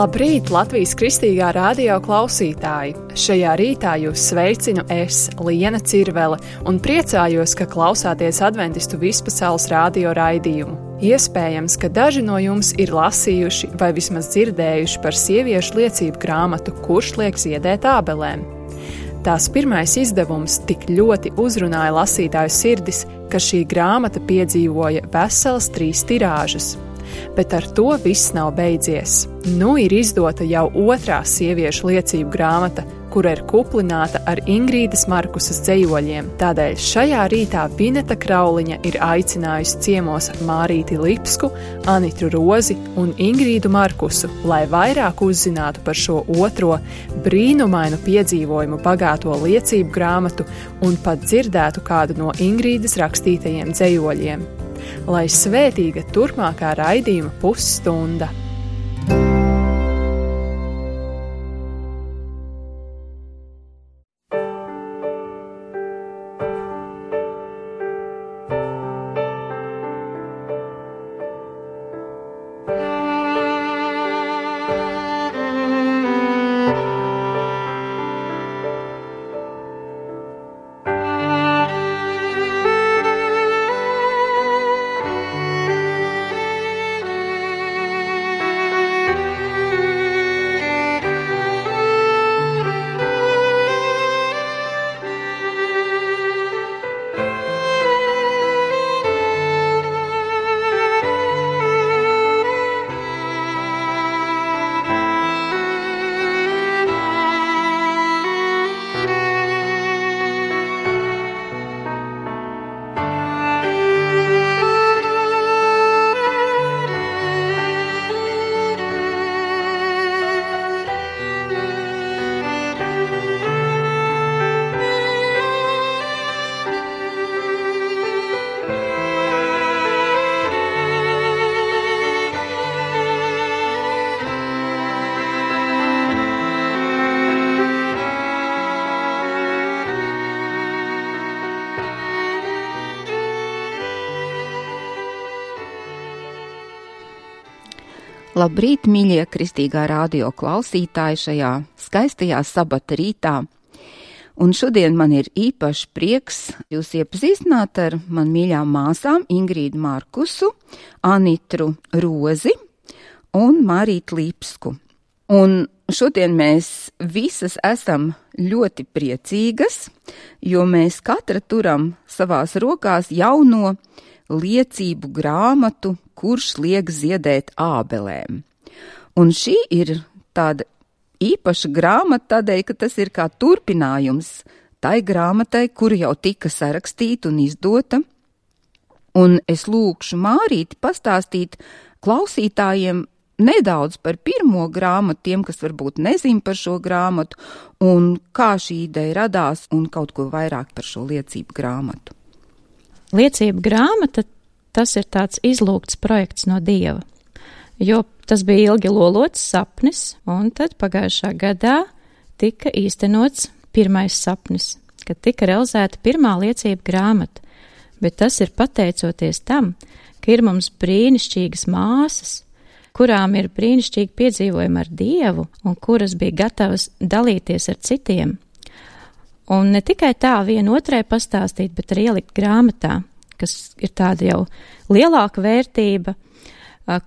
Labrīt, Latvijas Kristīgā radio klausītāji! Šajā rītā jūs sveicinu es, Liena Cirvele, un priecājos, ka klausāties Adventistu vispasaules radio raidījumu. Iespējams, ka daži no jums ir lasījuši vai vismaz dzirdējuši par sieviešu liecību grāmatu Kurš liek ziedēt ābelēm. Tās pirmais izdevums tik ļoti uzrunāja lasītāju sirdis, ka šī grāmata piedzīvoja veselas 3 tirāžas. Bet ar to viss nav beidzies. Nu ir izdota jau otrā sieviešu liecību grāmata, kura ir kuplināta ar Ingrīdas Markusas dzejoļiem. Tādēļ šajā rītā Vineta Krauliņa ir aicinājusi ciemos Mārīti Lipsku, Anitu Rozi un Ingrīdu Markusu, lai vairāk uzzinātu par šo otro brīnumainu piedzīvojumu bagāto liecību grāmatu un pat dzirdētu kādu no Ingrīdas rakstītajiem dzejoļiem. Lai svētīga turpmākā raidījuma pusstunda! Labrīt, mīļie Kristīgā radio klausītāji šajā skaistajā sabata rītā. Un šodien man ir īpašs prieks jūs iepazīstināt ar man mīļām māsām Ingrīdu Markusu, Anitu Rozi un Mārīti Lipsku. Un šodien mēs visas esam ļoti priecīgas, jo mēs katra turam savās rokās jauno liecību grāmatu, Kurš liek ziedēt ābelēm. Un šī ir tāda īpaša grāmata tādēļ, ka tas ir kā turpinājums tai grāmatai, kura jau tika sarakstīta un izdota. Un es lūkšu Mārīti pastāstīt klausītājiem nedaudz par pirmo grāmatu, tiem, kas varbūt nezin par šo grāmatu, un kā šī ideja radās, un kaut ko vairāk par šo liecību grāmatu. Liecība grāmata, tas ir tāds izlūgts projekts no Dieva, jo tas bija ilgi lolots sapnis, un tad pagājušā gadā tika īstenots pirmais sapnis, kad tika realizēta pirmā liecība grāmata, bet tas ir pateicoties tam, ka ir mums brīnišķīgas māsas, kurām ir brīnišķīgi piedzīvojumi ar Dievu, un kuras bija gatavas dalīties ar citiem. Un ne tikai tā vienotrai pastāstīt, bet arī ielikt grāmatā, kas ir tāda jau lielāka vērtība,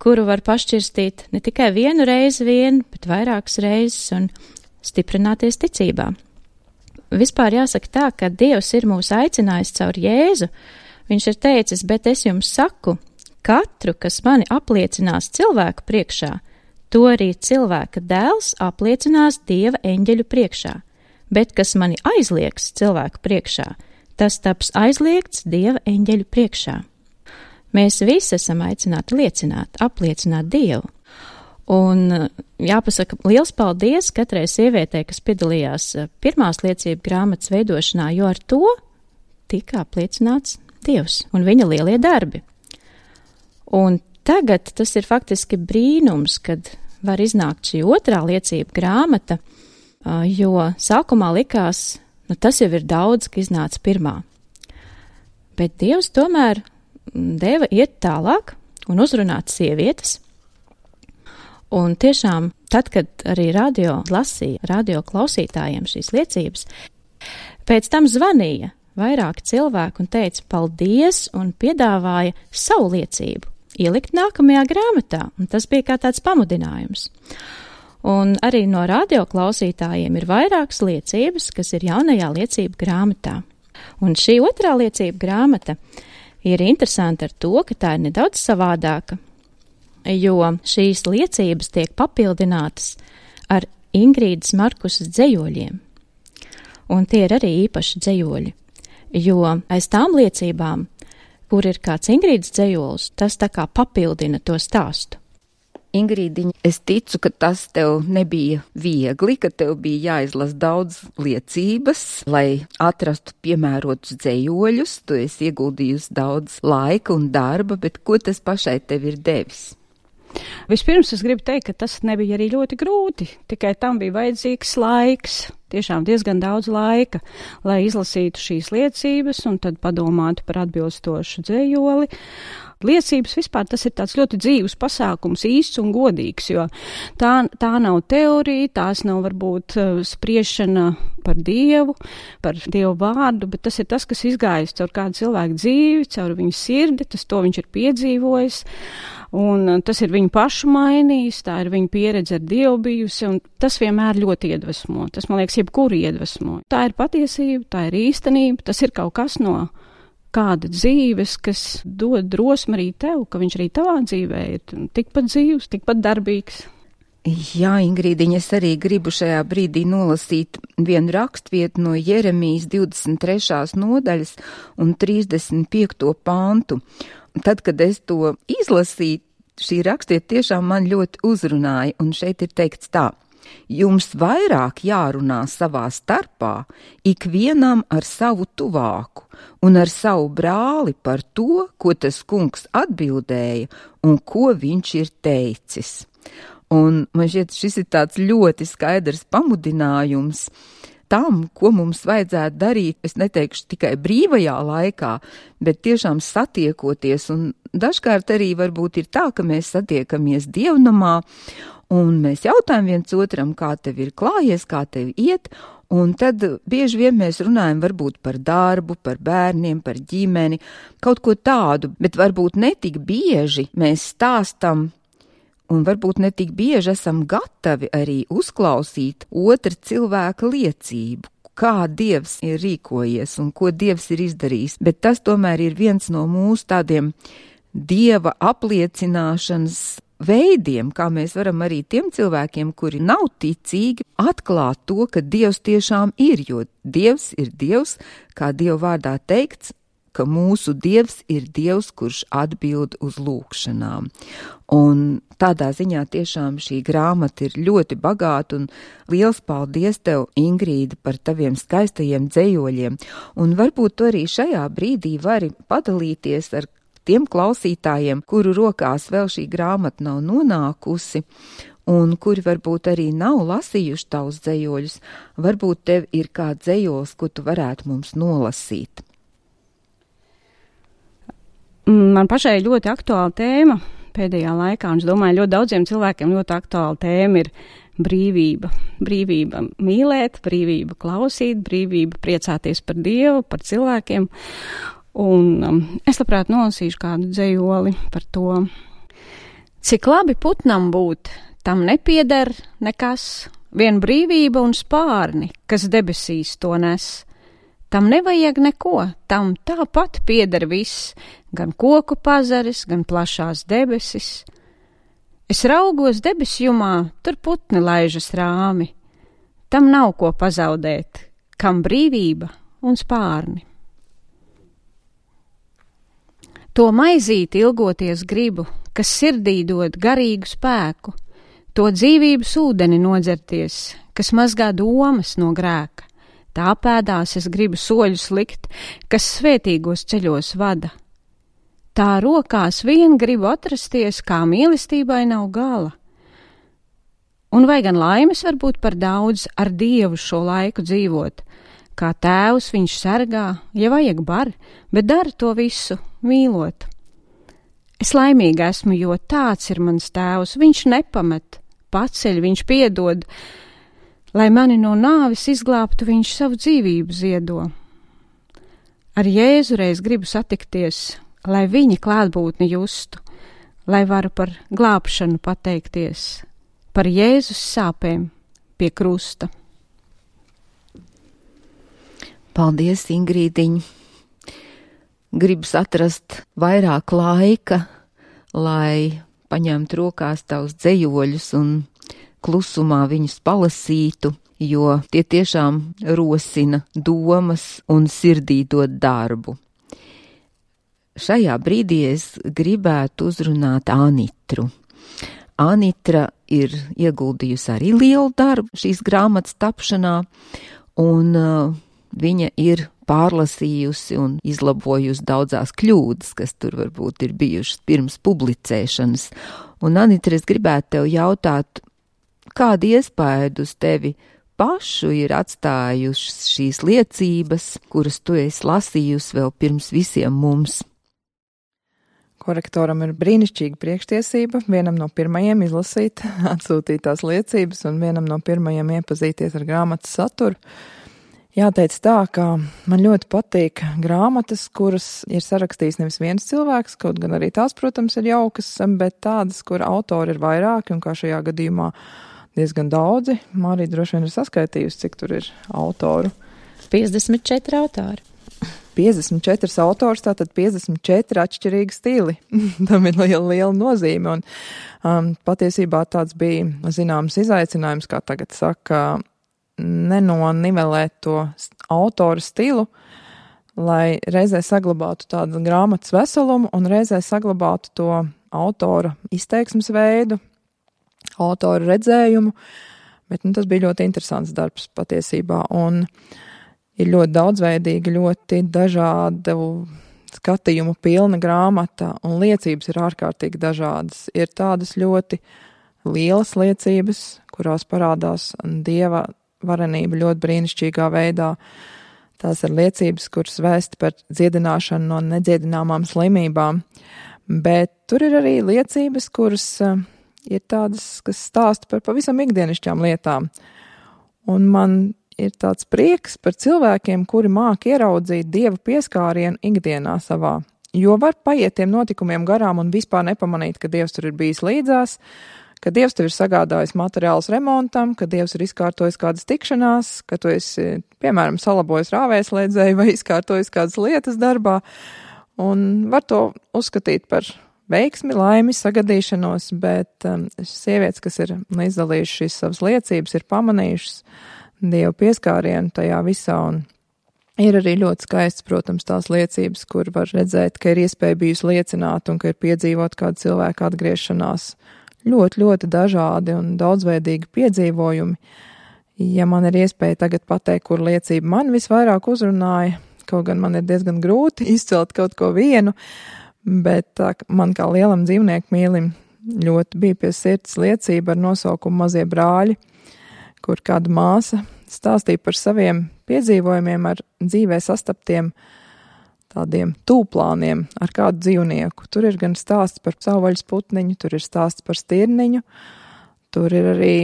kuru var pašķirstīt ne tikai vienu reizi vien, bet vairākas reizes un stiprināties ticībā. Vispār jāsaka tā, ka Dievs ir mūs aicinājis caur Jēzu. Viņš ir teicis, bet es jums saku, katru, kas mani apliecinās cilvēku priekšā, to arī cilvēka dēls apliecinās Dieva eņģeļu priekšā, bet kas mani aizliegs cilvēku priekšā, tas taps aizliegts Dieva eņģeļu priekšā. Mēs visi esam aicināti liecināt, apliecināt Dievu. Un jāpasaka liels paldies katrai sievietei, kas piedalījās pirmās liecību grāmatas veidošanā, jo ar to tika apliecināts Dievs un viņa lielie darbi. Un tagad tas ir faktiski brīnums, kad var iznākt šī otrā liecība grāmata, jo sākumā likās, tas jau ir daudz, ka iznāca pirmā. Bet Dievs tomēr deva iet tālāk un uzrunāt sievietes. Un tiešām tad, kad arī radio lasīja radio klausītājiem šīs liecības, pēc tam zvanīja vairāki cilvēki un teica paldies un piedāvāja savu liecību ielikt nākamajā grāmatā, un tas bija kā tāds pamudinājums. Un arī no radio klausītājiem ir vairākas liecības, kas ir jaunajā liecību grāmatā. Un šī otrā liecība grāmata ir interesanta ar to, ka tā ir nedaudz savādāka, jo šīs liecības tiek papildinātas ar Ingrīdas Markusas dzejoļiem. Un tie ir arī īpaši dzejoļi, jo aiz tām liecībām, kur ir kāds Ingrīdas dzejols, tas tā kā papildina to stāstu. Ingrīdiņa, es ticu, ka tas tev nebija viegli, ka tev bija jāizlas daudz liecības, lai atrastu piemērotus dzejoļus. Tu esi ieguldījusi daudz laika un darba, bet ko tas pašai tev ir devis? Vispirms es gribu teikt, ka tas nebija arī ļoti grūti, tikai tam bija vajadzīgs laiks, tiešām diezgan daudz laika, lai izlasītu šīs liecības un tad padomātu par atbilstošu dzejoli. Liecības vispār tas ir tāds ļoti dzīves pasākums, īsts un godīgs, jo tā nav teorija, tās nav varbūt spriešana par Dievu, par Dievu vārdu, bet tas ir tas, kas izgājis caur kādu cilvēku dzīvi, caur viņu sirdi, to viņš ir piedzīvojis. Un tas ir viņu pašu mainījis, tā ir viņa pieredze ar Dievu bijusi, un tas vienmēr ļoti iedvesmo. Tas, man liekas, jebkuru iedvesmo. Tā ir patiesība, tā ir īstenība, tas ir kaut kas no kāda dzīves, kas dod drosmi arī tev, ka viņš arī tavā dzīvē ir tikpat dzīvs, tikpat darbīgs. Jā, Ingrīdiņa, es arī gribu šajā brīdī nolasīt vienu rakstvietu no Jeremijas 23. nodaļas un 35. pantu. Tad, kad es to izlasīju, šī rakstiet tiešām man ļoti uzrunāja, un šeit ir teikts tā: jums vairāk jārunā savā starpā, ikvienam ar savu tuvāku un ar savu brāli par to, ko tas kungs atbildēja un ko viņš ir teicis. Un man šķiet, šis ir tāds ļoti skaidrs pamudinājums tam, ko mums vajadzētu darīt, es neteikšu tikai brīvajā laikā, bet tiešām satiekoties, un dažkārt arī varbūt ir tā, ka mēs satiekamies dievnamā, un mēs jautājam viens otram, kā tev ir klājies, kā tev iet, un tad bieži vien mēs runājam varbūt par darbu, par bērniem, par ģimeni, kaut ko tādu, bet varbūt netik bieži mēs stāstam, un varbūt ne tik bieži esam gatavi arī uzklausīt otra cilvēka liecību, kā Dievs ir rīkojies un ko Dievs ir izdarījis. Bet tas tomēr ir viens no mūsu tādiem Dieva apliecināšanas veidiem, kā mēs varam arī tiem cilvēkiem, kuri nav ticīgi, atklāt to, ka Dievs tiešām ir, jo Dievs ir Dievs, kā Dieva vārdā teikts, ka mūsu Dievs ir Dievs, kurš atbild uz lūgšanām. Un tādā ziņā tiešām šī grāmata ir ļoti bagāta, un liels paldies tev, Ingrīda, par taviem skaistajiem dzejoļiem. Un varbūt tu arī šajā brīdī vari padalīties ar tiem klausītājiem, kuru rokās vēl šī grāmata nav nonākusi, un kuri varbūt arī nav lasījuši tavus dzejoļus. Varbūt tev ir kāds dzejols, ko tu varētu mums nolasīt. Man pašai ļoti aktuāla tēma pēdējā laikā, un es domāju, ļoti daudziem cilvēkiem ļoti aktuāla tēma ir brīvība. Brīvība mīlēt, brīvība klausīt, brīvība priecāties par Dievu, par cilvēkiem. Un es labprāt nolasīšu kādu dzejoli par to. Cik labi putnam būt, tam nepieder nekas, vien brīvība un spārni, kas debesīs to nes. Tam nevajag neko, tam tāpat pieder viss, gan koku pazaris, gan plašās debesis. Es raugos debesjumā, tur putni laižas rāmi. Tam nav ko pazaudēt, kam brīvība un spārni. To maizīti ilgoties gribu, kas sirdī dod garīgu spēku, to dzīvības ūdeni nodzerties, kas mazgā domas no grēka. Tā pēdās es gribu soļus likt, kas svētīgos ceļos vada. Tā rokās vien gribu atrasties, kā mīlestībai nav gala. Un vai gan laimes var būt par daudz ar Dievu šo laiku dzīvot? Kā tēvs viņš sargā, ja vajag bar, bet dara to visu mīlot. Es laimīga esmu, jo tāds ir mans tēvs, viņš nepamet paceļ, viņš piedod. Lai mani no nāvis izglābtu, viņš savu dzīvību ziedo. Ar Jēzu reiz gribu satikties, lai viņa klātbūtni justu, lai varu par glābšanu pateikties, par Jēzus sāpēm pie krusta. Paldies, Ingrīdiņ! Gribas atrast vairāk laika, lai paņemtu rokās tavus dzejoļus un klusumā viņus palasītu, jo tie tiešām rosina domas un sirdī dod darbu. Šajā brīdī es gribētu uzrunāt Anitru. Anitra ir ieguldījusi arī lielu darbu šīs grāmatas tapšanā, un viņa ir pārlasījusi un izlabojusi daudzās kļūdas, kas tur varbūt ir bijušas pirms publicēšanas. Un, Anitra, es gribētu tev jautāt, kādu iespaidu uz tevi pašu ir atstājušas šīs liecības, kuras tu esi lasījusi vēl pirms visiem mums? Korektoram ir brīnišķīga priekštiesība vienam no pirmajiem izlasīt atsūtītās liecības un vienam no pirmajiem iepazīties ar grāmatas saturu. Jāteic tā, ka man ļoti patīk grāmatas, kuras ir sarakstījis nevis viens cilvēks, kaut gan arī tās, protams, ir jaukas, bet tādas, kur autori ir vairāki, un kā šajā gadījumā diezgan daudzi. Mārija droši vien ir saskaitījusi, cik tur ir autoru. 54 autori. 54 autors, tātad 54 atšķirīgi stili. Tam ir liela nozīme, un patiesībā tāds bija zināms izaicinājums, kā tagad saka, nenonivelēt to autoru stilu, lai reizē saglabātu tādu grāmatas veselumu un reizē saglabātu to autora izteiksmes veidu, autora redzējumu, bet tas bija ļoti interesants darbs patiesībā, un ir ļoti daudzveidīga, ļoti dažādu skatījumu pilna grāmata, un liecības ir ārkārtīgi dažādas. Ir tādas ļoti lielas liecības, kurās parādās Dieva varenība ļoti brīnišķīgā veidā. Tās ir liecības, kuras vēsta par dziedināšanu no nedziedināmām slimībām, bet tur ir arī liecības, kuras ir tādas, kas stāsta par pavisam ikdienišķām lietām. Un man ir tāds prieks par cilvēkiem, kuri māk ieraudzīt Dieva pieskārienu ikdienā savā, jo var paiet tiem notikumiem garām un vispār nepamanīt, ka Dievs tur ir bijis līdzās, ka Dievs tev ir sagādājis materiālus remontam, ka Dievs ir izkārtojis kādas tikšanās, ka tu esi, piemēram, salabojis rāvēslēdzēju vai izkārtojis kādas lietas darbā, un var to uzskatīt par veiksmi, laimi, sagadīšanos, bet sievietes, kas ir izdalījušas šīs savas liecības, ir pamanījušas Dievu pieskārienu tajā visā, un ir arī ļoti skaists, protams, tās liecības, kur var redzēt, ka ir iespēja bijusi liecināt un ka ir piedzīvot kādu cilvēku atgriešanās. Ļoti, ļoti dažādi un daudzveidīgi piedzīvojumi. Ja man ir iespēja tagad pateikt, kur liecība man visvairāk uzrunāja, kaut gan man ir diezgan grūti izcelt kaut ko vienu, bet man kā lielam dzīvnieku mīlim ļoti bija pie sirds liecība ar nosaukumu Mazie brāļi, kur kāda māsa stāstīja par saviem piedzīvojumiem ar dzīvē sastaptiem tādiem tūplāniem ar kādu dzīvnieku. Tur ir gan stāsts par savvaļas putniņu, tur ir stāsts par stirniņu, tur ir arī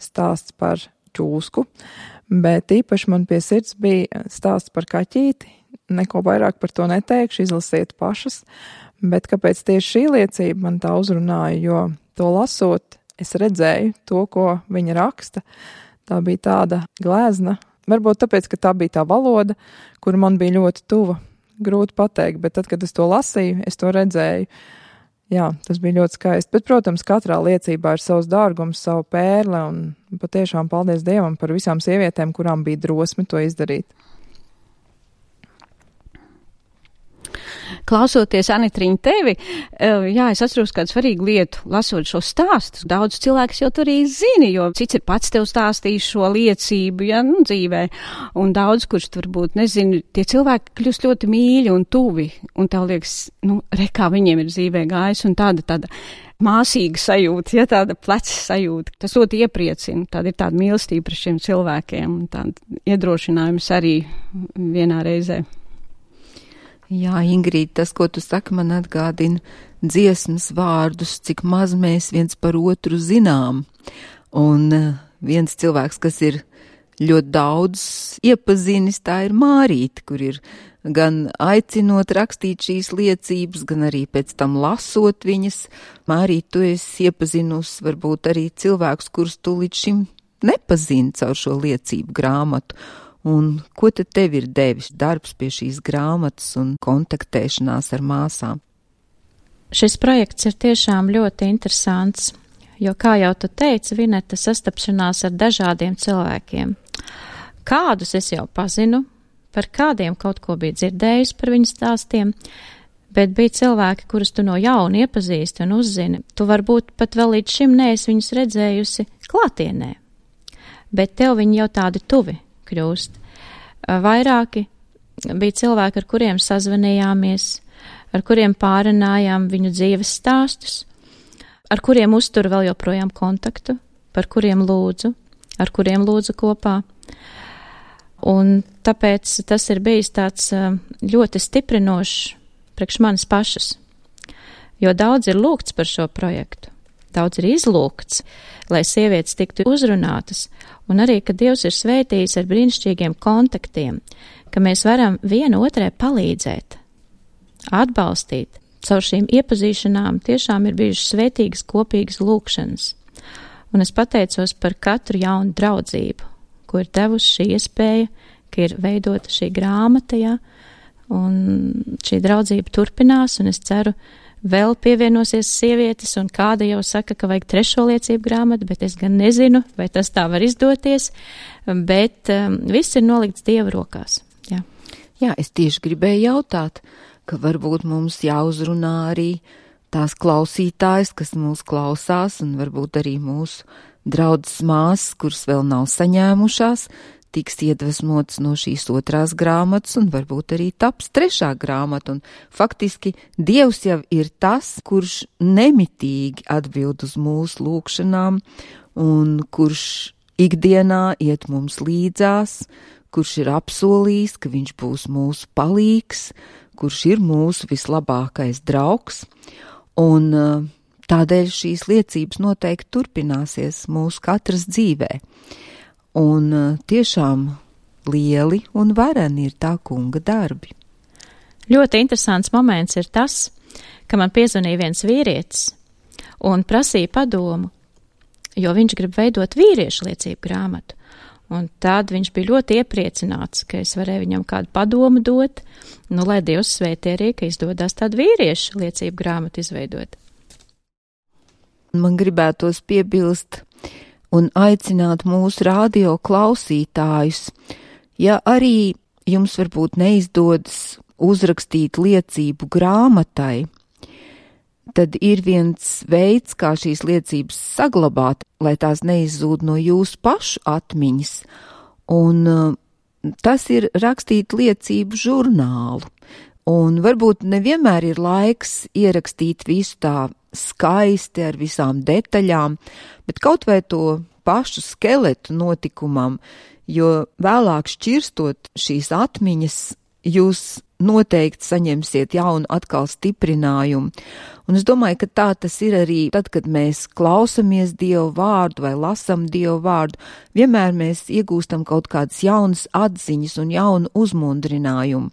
stāsts par čūsku, bet īpaši man pie sirds bija stāsts par kaķīti. Neko vairāk par to neteikšu, izlasiet pašas, bet kāpēc tieši šī liecība man tā uzrunāja, jo to lasot, es redzēju to, ko viņa raksta. Tā bija tāda glezna, varbūt tāpēc, ka tā bija tā valoda, kura man bija ļoti tuva. Grūti pateikt, bet tad, kad es to lasīju, es to redzēju. Jā, tas bija ļoti skaisti. Bet, protams, katrā liecībā ir savs dārgums, savu pērle, un patiešām paldies Dievam par visām sievietēm, kurām bija drosme to izdarīt. Klausoties, Anitriņa, tevi, jā, es atceros kādu svarīgu lietu, lasot šo stāstu. Daudz cilvēks jau tur arī zini, jo cits ir pats tev stāstījis šo liecību, ja, dzīvē, un daudz, kurš tur varbūt nezinu, tie cilvēki kļūst ļoti mīļi un tuvi, un tev liekas, kā viņiem ir dzīvē gājis, un tāda māsīga sajūta, ja, tāda pleca sajūta. Tas ļoti iepriecina, tāda ir tāda mīlestība par šiem cilvēkiem, un tāda iedrošinājums arī vienā reizē. Jā, Ingrīd, tas, ko tu saki, man atgādina dziesmas vārdus, cik maz mēs viens par otru zinām. Un viens cilvēks, kas ir ļoti daudz iepazinis, tā ir Mārīte, kur ir gan aicinot rakstīt šīs liecības, gan arī pēc tam lasot viņas. Mārīte, tu esi iepazinusi varbūt arī cilvēkus, kurus tu līdz šim nepazini caur šo liecību grāmatu. Un ko tad tev ir devis darbs pie šīs grāmatas un kontaktēšanās ar māsām? Šis projekts ir tiešām ļoti interesants, jo, kā jau tu teici, Vineta, sastapšanās ar dažādiem cilvēkiem. Kādus es jau pazinu, par kādiem kaut ko biju dzirdējusi par viņu stāstiem, bet bija cilvēki, kurus tu no jauna iepazīsti un uzzini. Tu varbūt pat vēl līdz šim neesi viņus redzējusi klātienē, bet tev viņi jau tādi tuvi kļūst. Vairāki bija cilvēki, ar kuriem sazvanījāmies, ar kuriem pārunājām viņu dzīves stāstus, ar kuriem uzturu vēl joprojām kontaktu, par kuriem lūdzu, ar kuriem lūdzu kopā. Un tāpēc tas ir bijis tāds ļoti stiprinošs priekš manis pašas, jo daudz ir lūgts par šo projektu, daudz ir izlūgts, lai sievietes tiktu uzrunātas, un arī, ka Dievs ir svētījis ar brīnišķīgiem kontaktiem, ka mēs varam viena otrai palīdzēt, atbalstīt. Caur šīm iepazīšanām tiešām ir bijušas svētīgas kopīgas lūkšanas. Un es pateicos par katru jaunu draudzību, ko ir devusi šī iespēja, ka ir veidota šī grāmata, ja, un šī draudzība turpinās, un es ceru, vēl pievienosies sievietes, un kāda jau saka, ka vajag 3. liecību grāmatu, bet es gan nezinu, vai tas tā var izdoties, bet viss ir nolikts Dieva rokās. Jā. Jā, es tieši gribēju jautāt, ka varbūt mums jāuzrunā arī tās klausītājas, kas mūs klausās, un varbūt arī mūsu draudzes māsas, kuras vēl nav saņēmušās, tiks iedvesmotas no šīs 2. grāmatas, un varbūt arī taps 3. grāmata. Un faktiski Dievs jau ir tas, kurš nemitīgi atbild uz mūsu lūgšanām, un kurš ikdienā iet mums līdzās, kurš ir apsolījis, ka viņš būs mūsu palīgs, kurš ir mūsu vislabākais draugs, un tādēļ šīs liecības noteikti turpināsies mūsu katras dzīvē. Un tiešām lieli un vareni ir tā kunga darbi. Ļoti interesants moments ir tas, ka man piezvanīja viens vīrietis un prasīja padomu, jo viņš grib veidot vīriešu liecību grāmatu. Un tad viņš bija ļoti iepriecināts, ka es varēju viņam kādu padomu dot, lai Dievs svētī arī, ka izdodas tādu vīriešu liecību grāmatu izveidot. Man gribētos piebilst un aicināt mūsu radio klausītājus, ja arī jums varbūt neizdodas uzrakstīt liecību grāmatai, tad ir viens veids, kā šīs liecības saglabāt, lai tās neizzūd no jūsu pašu atmiņas, un tas ir rakstīt liecību žurnālu. Un varbūt nevienmēr ir laiks ierakstīt visu tā skaisti ar visām detaļām, bet kaut vai to pašu skeletu notikumam, jo vēlāk šķirstot šīs atmiņas, jūs noteikti saņemsiet jaunu atkal stiprinājumu. Un es domāju, ka tā tas ir arī tad, kad mēs klausamies Dievu vārdu vai lasam Dievu vārdu, vienmēr mēs iegūstam kaut kādas jaunas atziņas un jaunu uzmundrinājumu.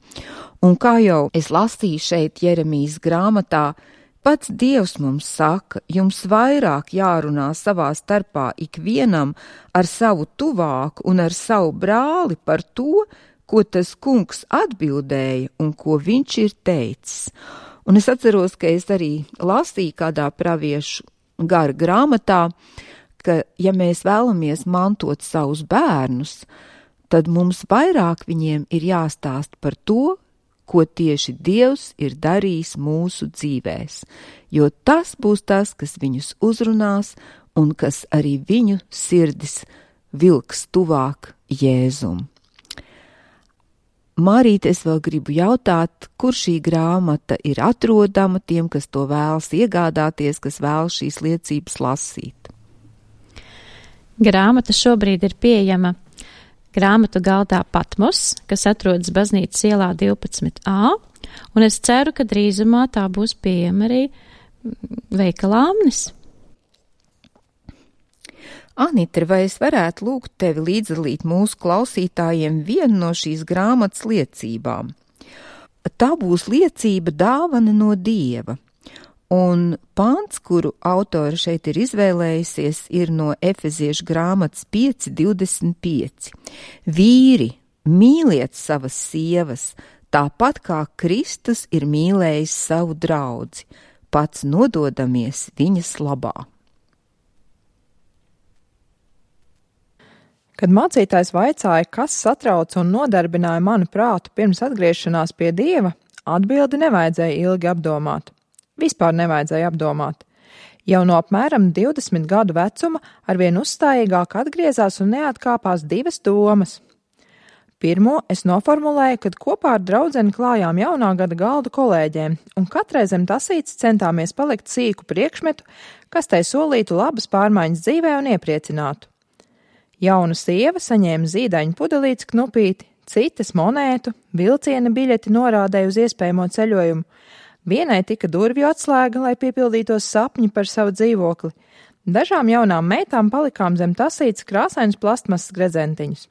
Un kā jau es lasīju šeit Jeremijas grāmatā, pats Dievs mums saka, jums vairāk jārunā savā starpā ikvienam ar savu tuvāku un ar savu brāli par to, ko tas kungs atbildēja un ko viņš ir teicis. Un es atceros, ka es arī lasīju kādā praviešu gara grāmatā, ka ja mēs vēlamies mantot savus bērnus, tad mums vairāk viņiem ir jāstāst par to, ko tieši Dievs ir darījis mūsu dzīvēs, jo tas būs tas, kas viņus uzrunās un kas arī viņu sirdis vilks tuvāk Jēzum. Mārīte, es vēl gribu jautāt, kur šī grāmata ir atrodama tiem, kas to vēlas iegādāties, kas vēlas šīs liecības lasīt? Grāmata šobrīd ir pieejama grāmatu galdā Patmos, kas atrodas Baznīcas ielā 12A, un es ceru, ka drīzumā tā būs pieejama arī veikalā Amnis. Anita, vai es varētu lūgt tevi līdzdalīt mūsu klausītājiem vienu no šīs grāmatas liecībām? Tā būs liecība dāvana no Dieva. Un pāns, kuru autori šeit ir izvēlējusies, ir no Efeziešu grāmatas 5:25. Vīri, mīliet savas sievas, tāpat kā Kristus ir mīlējis savu draudzi, pats nododamies viņas labā. Kad mācītājs vaicāja, kas satrauca un nodarbināja manu prātu pirms atgriešanās pie Dieva, atbildi nevajadzēja ilgi apdomāt. Vispār nevajadzēja apdomāt. Jau no apmēram 20 gadu vecuma arvien uzstājīgāk atgriezās un neatkāpās divas domas. Pirmo es noformulēju, kad kopā ar draudzeni klājām jaunā gada galdu kolēģiem, un katrai zem tasītes centāmies palikt sīku priekšmetu, kas tai solītu labas pārmaiņas dzīvē un iepriecinātu. Jauna sieva saņēma zīdaiņu pudelītes knupīti, citas monētu, vilciena biļeti norādēja uz iespējamo ceļojumu. Vienai tika durvju atslēga, lai piepildītos sapņi par savu dzīvokli. Dažām jaunām meitām palikām zem tasītes krāsainus plastmasas gredzentiņus.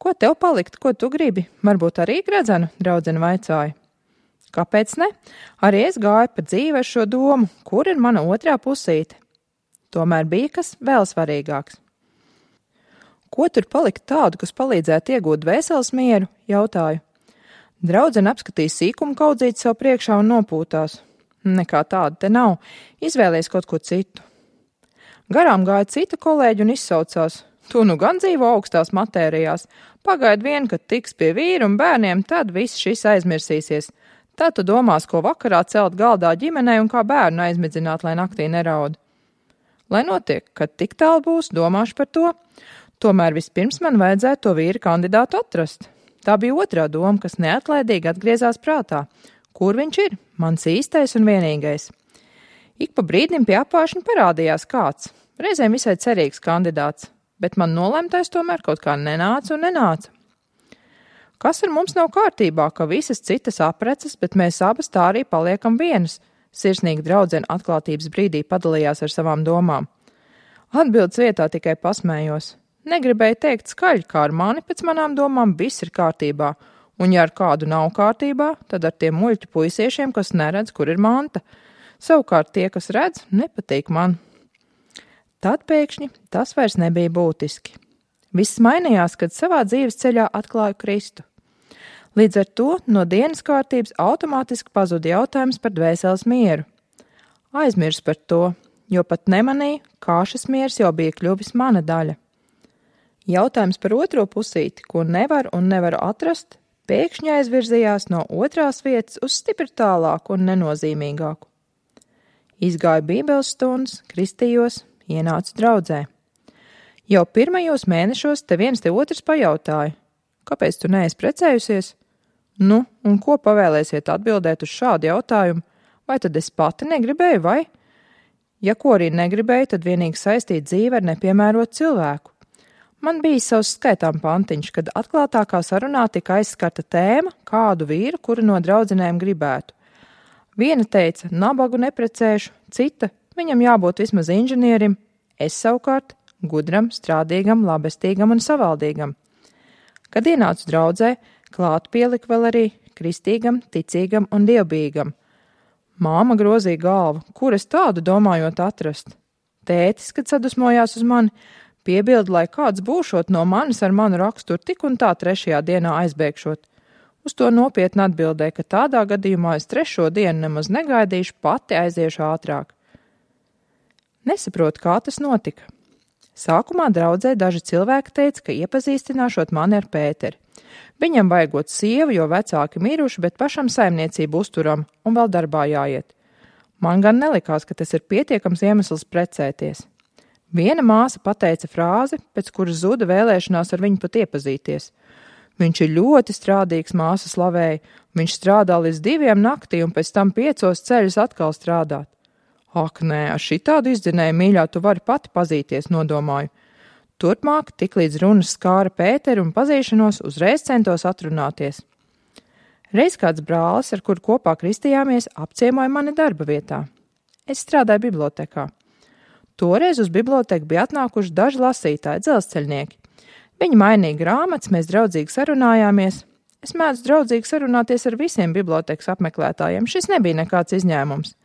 Ko tev palikt, ko tu gribi? Varbūt arī gredzenu, draudzene vaicāja. Kāpēc ne? Arī es gāju pa dzīvi ar šo domu, kur ir mana otrā pusīte. Tomēr bija kas vēl svarīgāks. Ko tur palikt tādu, kas palīdzētu iegūt dvēseles mieru, jautāju. Draudzene apskatīja sīkumu kaudzīti sev priekšā un nopūtās. Nekā tāda te nav, izvēlies kaut ko citu. Garām gāja cita kolēģi un izsaucās. Tu nu gan dzīvo augstās matērijās, pagaid vien, kad tiks pie vīru un bērniem, tad viss šis aizmirsīsies. Tad tu domās, ko vakarā celt galdā ģimenei un kā bērnu aizmidzināt, lai naktī neraud. Lai notiek, kad tik tālu būs, domāšu par to. Tomēr vispirms man vajadzētu to vīra kandidātu atrast. Tā bija otrā doma, kas neatlaidīgi atgriezās prātā. Kur viņš ir? Mans īstais un vienīgais. Ik pa brīdim pie apvāršņa parādījās kāds, reizēm visai cerīgs kandidāts, bet man nolemtais tomēr kaut kā nenāca un nenāca. Kas ar mums nav kārtībā, ka visas citas aprecas, bet mēs abas tā arī paliekam vienas? Sirsnīgi draudzene atklātības brīdī padalījās ar savām domām. Atbildes vietā tikai pasmējos. Negribēju teikt skaļi, kā ar mani pēc manām domām viss ir kārtībā, un ja ar kādu nav kārtībā, tad ar tiem muļķu puisiešiem, kas neredz, kur ir manta. Savukārt tie, kas redz, nepatīk man. Tad pēkšņi tas vairs nebija būtiski. Viss mainījās, kad savā dzīves ceļā atklāju Kristu. Līdz ar to no dienas kārtības automātiski pazuda jautājums par dvēseles mieru. Aizmirsu par to, jo pat nemanīju, kā šis miers jau bija kļuvis mana daļa. Jautājums par otro pusīti, ko nevaru atrast, pēkšņi aizvirzījās no otrās vietas uz stipri tālāku un nenozīmīgāku. Izgāju bībeles stundas, kristījos, ienācu draudzē. Jau pirmajos mēnešos te viens te otrs pajautāja, kāpēc tu neesi precējusies? Nu, un ko pavēlēsiet atbildēt uz šādu jautājumu? Vai tad es pati negribēju, vai? Ja ko arī negribēju, tad vienīgi saistīt dzīvi ar nepiemērotu cilvēku. Man bija savs skaitām pantiņš, kad atklātākā sarunā tika aizskarta tēma, kādu vīru, kuru no draudzenēm gribētu. Viena teica, nabagu neprecēšu, cita, viņam jābūt vismaz inženierim, es savukārt gudram, strādīgam, labestīgam un savaldīgam. Kad ienācu draudzē, klāt pielika vēl arī kristīgam, ticīgam un dievbijīgam. Māma grozīja galvu, kur es tādu domājot atrast. Tētis, kad sadusmojās uz mani, piebilda, lai kāds būšot no manis ar manu raksturu tik un tā 3. dienā aizbēgšot. Uz to nopietni atbildēja, ka tādā gadījumā es 3. dienu nemaz negaidīšu, pati aiziešu ātrāk. Nesaprotu, kā tas notika. Sākumā draudzē daži cilvēki teica, ka iepazīstināšot mani ar Pēteri. Viņam vajagot sievu, jo vecāki miruši, bet pašam saimniecību uzturam un vēl darbā jāiet. Man gan nelikās, ka tas ir pietiekams iemesls precēties. Viena māsa pateica frāzi, pēc kuras zuda vēlēšanās ar viņu pat iepazīties. Viņš ir ļoti strādīgs, māsa slavēja. Viņš strādā līdz 2 naktī un pēc tam 5 ceļus atkal strādāt. Ak, nē, ar šitādu izdzinēju, mīļā, tu vari pati pazīties, nodomāju. Turpmāk, tik līdz runas skāra Pēteri un pazīšanos, uzreiz centos atrunāties. Reiz kāds brālis, ar kuru kopā kristījāmies, apciemoja mani darba vietā. Es strādāju bibliotekā. Toreiz uz biblioteku bija atnākuši daži lasītāji, dzelzceļnieki. Viņi mainīja grāmatas, mēs draudzīgi sarunājāmies. Es mēdzu draudzīgi sarunāties ar visiem bibliotekas apmeklētājiem, šis nebija nekāds izņēmums.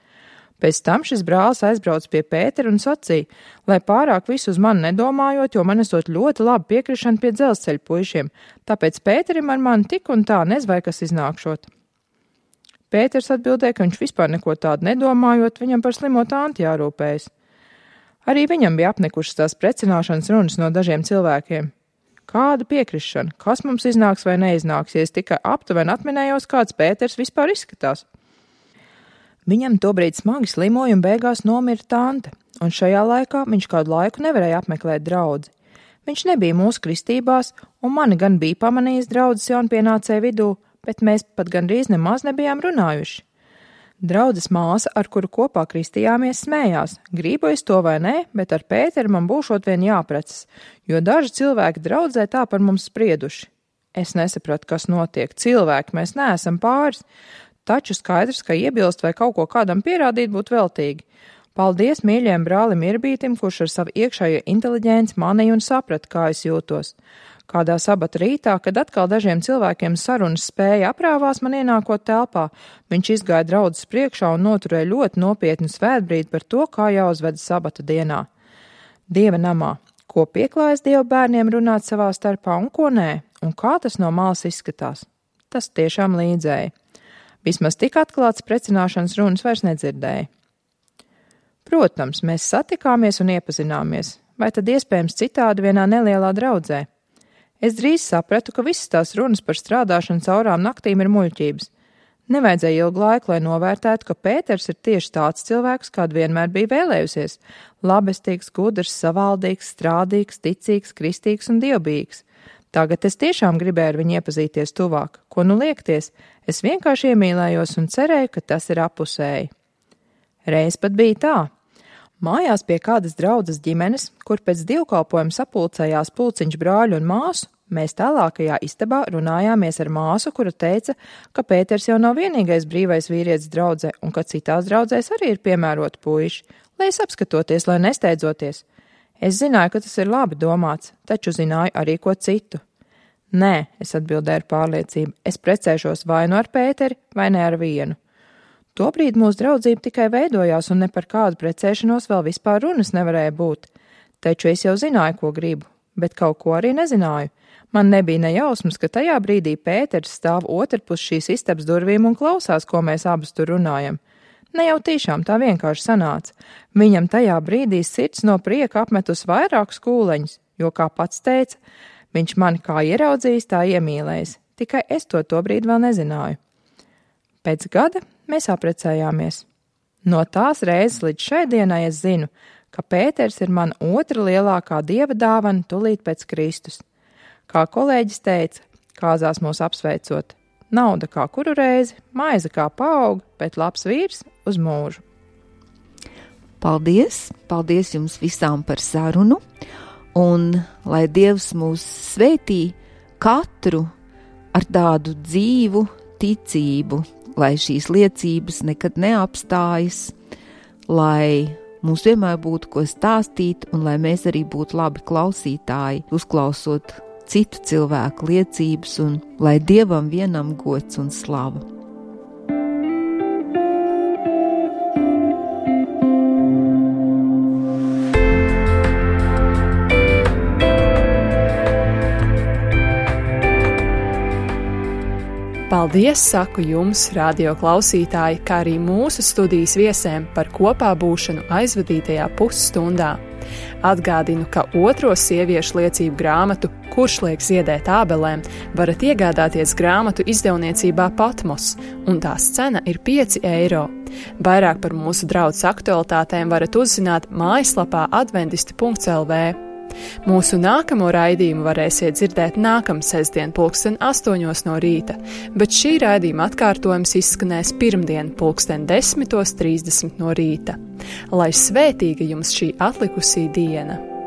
Pēc tam šis brālis aizbrauca pie Pētera un sacīja, lai pārāk visu uz mani nedomājot, jo man esot ļoti labi piekrišana pie dzelzceļa puišiem, tāpēc Pēterim ar mani tik un tā nezvai, kas iznākšot. Pēters atbildēja, ka viņš vispār neko tādu nedomājot, viņam par slimo tanti jārūpējas. Arī viņam bija apnikušas tās precināšanas runas no dažiem cilvēkiem. Kāda piekrišana, kas mums iznāks vai neiznāks, ja es tikai aptuveni atminējos, kāds Pēters vispār izskatās. Viņam tobrīd smagi slimoja un beigās nomira tante, un šajā laikā viņš kādu laiku nevarēja apmeklēt draudzi. Viņš nebija mūsu kristībās, un mani gan bija pamanījis draudzes jaunpienācēju vidū, bet mēs pat gandrīz nemaz nebijām runājuši. Draudzes māsa, ar kuru kopā kristījāmies, smējās, gribu es to vai nē, bet ar Pēteru man būšot vien jāprecas, jo daži cilvēki draudzē tā par mums sprieduši. Es nesapratu, kas notiek, cilvēki, mēs neesam pāris, taču skaidrs, ka iebilst vai kaut ko kādam pierādīt būtu veltīgi. Paldies mīļajam brālim Irbītim, kurš ar savu iekšējo inteliģenci manīja un saprata, kā es jūtos. Kādā sabata rītā, kad atkal dažiem cilvēkiem sarunas spēja aprāvās man ienākot telpā, viņš izgāja draudzes priekšā un noturēja ļoti nopietnu svētbrīdi par to, kā jāuzvedas sabata dienā. Dieva namā, ko pieklājas Dieva bērniem runāt savā starpā un ko nē, un kā tas no malas izskatās. Tas tiešām līdzēja. Vismaz tik atklāts precināšanas runas vairs nedzirdēja. Protams, mēs satikāmies un iepazināmies, vai tad iespējams citādi vienā nelielā draudzē. Es drīz sapratu, ka visas tās runas par strādāšanu caurām naktīm ir muļķības. Nevajadzēja ilgu laiku, lai novērtētu, ka Pēters ir tieši tāds cilvēks, kādu vienmēr bija vēlējusies – labestīgs, gudrs, savaldīgs, strādīgs, ticīgs, kristīgs un dievbijīgs. Tagad es tiešām gribēju ar viņu iepazīties tuvāk. Ko nu liekties? Es vienkārši iemīlējos un cerēju, ka tas ir apusēji. Reiz pat bija tā. Mājās pie kādas draudzes ģimenes, kur pēc dievkalpojuma sapulcējās pulciņš brāļu un māsu, mēs tālākajā istabā runājāmies ar māsu, kura teica, ka Pēters jau nav vienīgais brīvais vīrietis draudzē un ka citās draudzēs arī ir piemēroti puiši, lai es apskatoties, lai nesteidzoties. Es zināju, ka tas ir labi domāts, taču zināju arī ko citu. Nē, es atbildēju ar pārliecību, es precēšos vai nu ar Pēteri, vai ne ar vienu. Tobrīd mūsu draudzība tikai veidojās un ne par kādu precēšanos vēl vispār runas nevarēja būt. Taču es jau zināju, ko gribu, bet kaut ko arī nezināju. Man nebija nejausmas, ka tajā brīdī Pēters stāv otrpus šīs istabas durvīm un klausās, ko mēs abas tur runājam. Ne jau tiešām tā vienkārši sanāca. Viņam tajā brīdī sirds no prieka apmetus vairākus kūleņus, jo, kā pats teica, viņš mani kā ieraudzījis, tā iemīlējis. Tikai es to tobrīd vēl nezināju. Pēc gada mēs apprecējāmies. No tās reizes līdz šai dienai es zinu, ka Pēters ir mana otra lielākā dieva dāvana tūlīt pēc Kristus. Kā kolēģis teica, kāzās mūs apsveicot, nauda kā kuru reizi, maize kā paauga, bet labs vīrs uz mūžu. Paldies! Paldies jums visām par sarunu, un lai Dievs mūs svētī katru ar tādu dzīvu ticību, lai šīs liecības nekad neapstājas, lai mums vienmēr būtu ko stāstīt un lai mēs arī būtu labi klausītāji, uzklausot citu cilvēku liecības un lai Dievam vienam gods un slava. Paldies, saku jums, radio klausītāji, kā arī mūsu studijas viesēm par kopā būšanu aizvadītajā pusstundā. Atgādinu, ka otro sieviešu liecību grāmatu Kurš liek ziedēt ābelēm varat iegādāties grāmatu izdevniecībā Patmos, un tās cena ir 5 eiro. Vairāk par mūsu draudzes aktualitātēm varat uzzināt mājaslapā adventisti.lv. Mūsu nākamo raidījumu varēsiet dzirdēt nākamā sestdien 8:00 no rīta, bet šī raidījuma atkārtojums izskanēs pirmdien 10:30 no rīta. Lai svētīga jums šī atlikusī diena!